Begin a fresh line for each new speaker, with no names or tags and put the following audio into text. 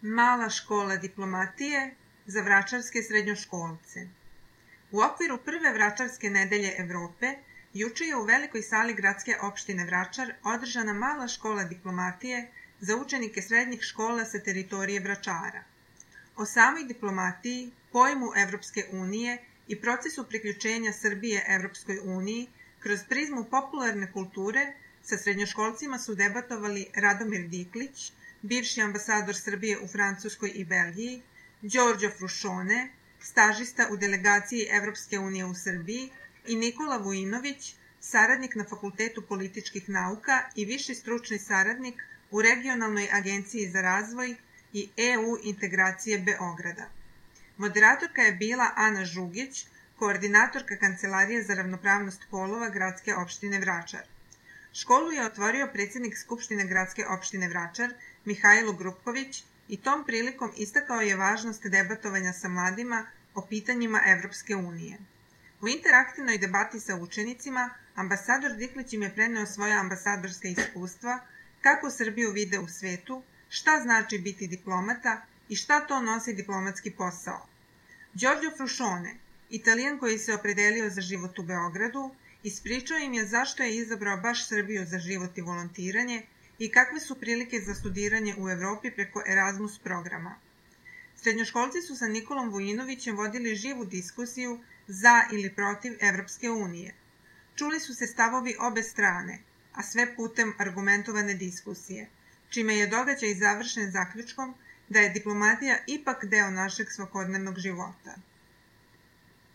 Mala škola diplomatije za vračarske srednjoškolce. U okviru prve vračarske nedelje Evrope, juče je u velikoj sali gradske opštine Vračar održana mala škola diplomatije za učenike srednjih škola sa teritorije Vračara. O samoj diplomatiji, pojmu Evropske unije i procesu priključenja Srbije Evropskoj uniji kroz prizmu popularne kulture sa srednjoškolcima su debatovali Radomir Diklić, bivši ambasador Srbije u Francuskoj i Belgiji, Đorđo Frušone, stažista u delegaciji Evropske unije u Srbiji i Nikola Vujinović, saradnik na Fakultetu političkih nauka i viši stručni saradnik u Regionalnoj agenciji za razvoj i EU integracije Beograda. Moderatorka je bila Ana Žugić, koordinatorka Kancelarije za ravnopravnost polova gradske opštine Vračar. Školu je otvorio predsjednik Skupštine gradske opštine Vračar, Mihajlo Grupković, i tom prilikom istakao je važnost debatovanja sa mladima o pitanjima Evropske unije. U interaktivnoj debati sa učenicima, ambasador Diklić im je preneo svoja ambasadorska iskustva, kako Srbiju vide u svetu, šta znači biti diplomata i šta to nosi diplomatski posao. Đorđo Frušone, Italijan koji se opredelio za život u Beogradu, ispričao im je zašto je izabrao baš Srbiju za život i volontiranje i kakve su prilike za studiranje u Evropi preko Erasmus programa. Srednjoškolci su sa Nikolom Vujinovićem vodili živu diskusiju za ili protiv Evropske unije. Čuli su se stavovi obe strane, a sve putem argumentovane diskusije, čime je događaj završen zaključkom da je diplomatija ipak deo našeg svakodnevnog života.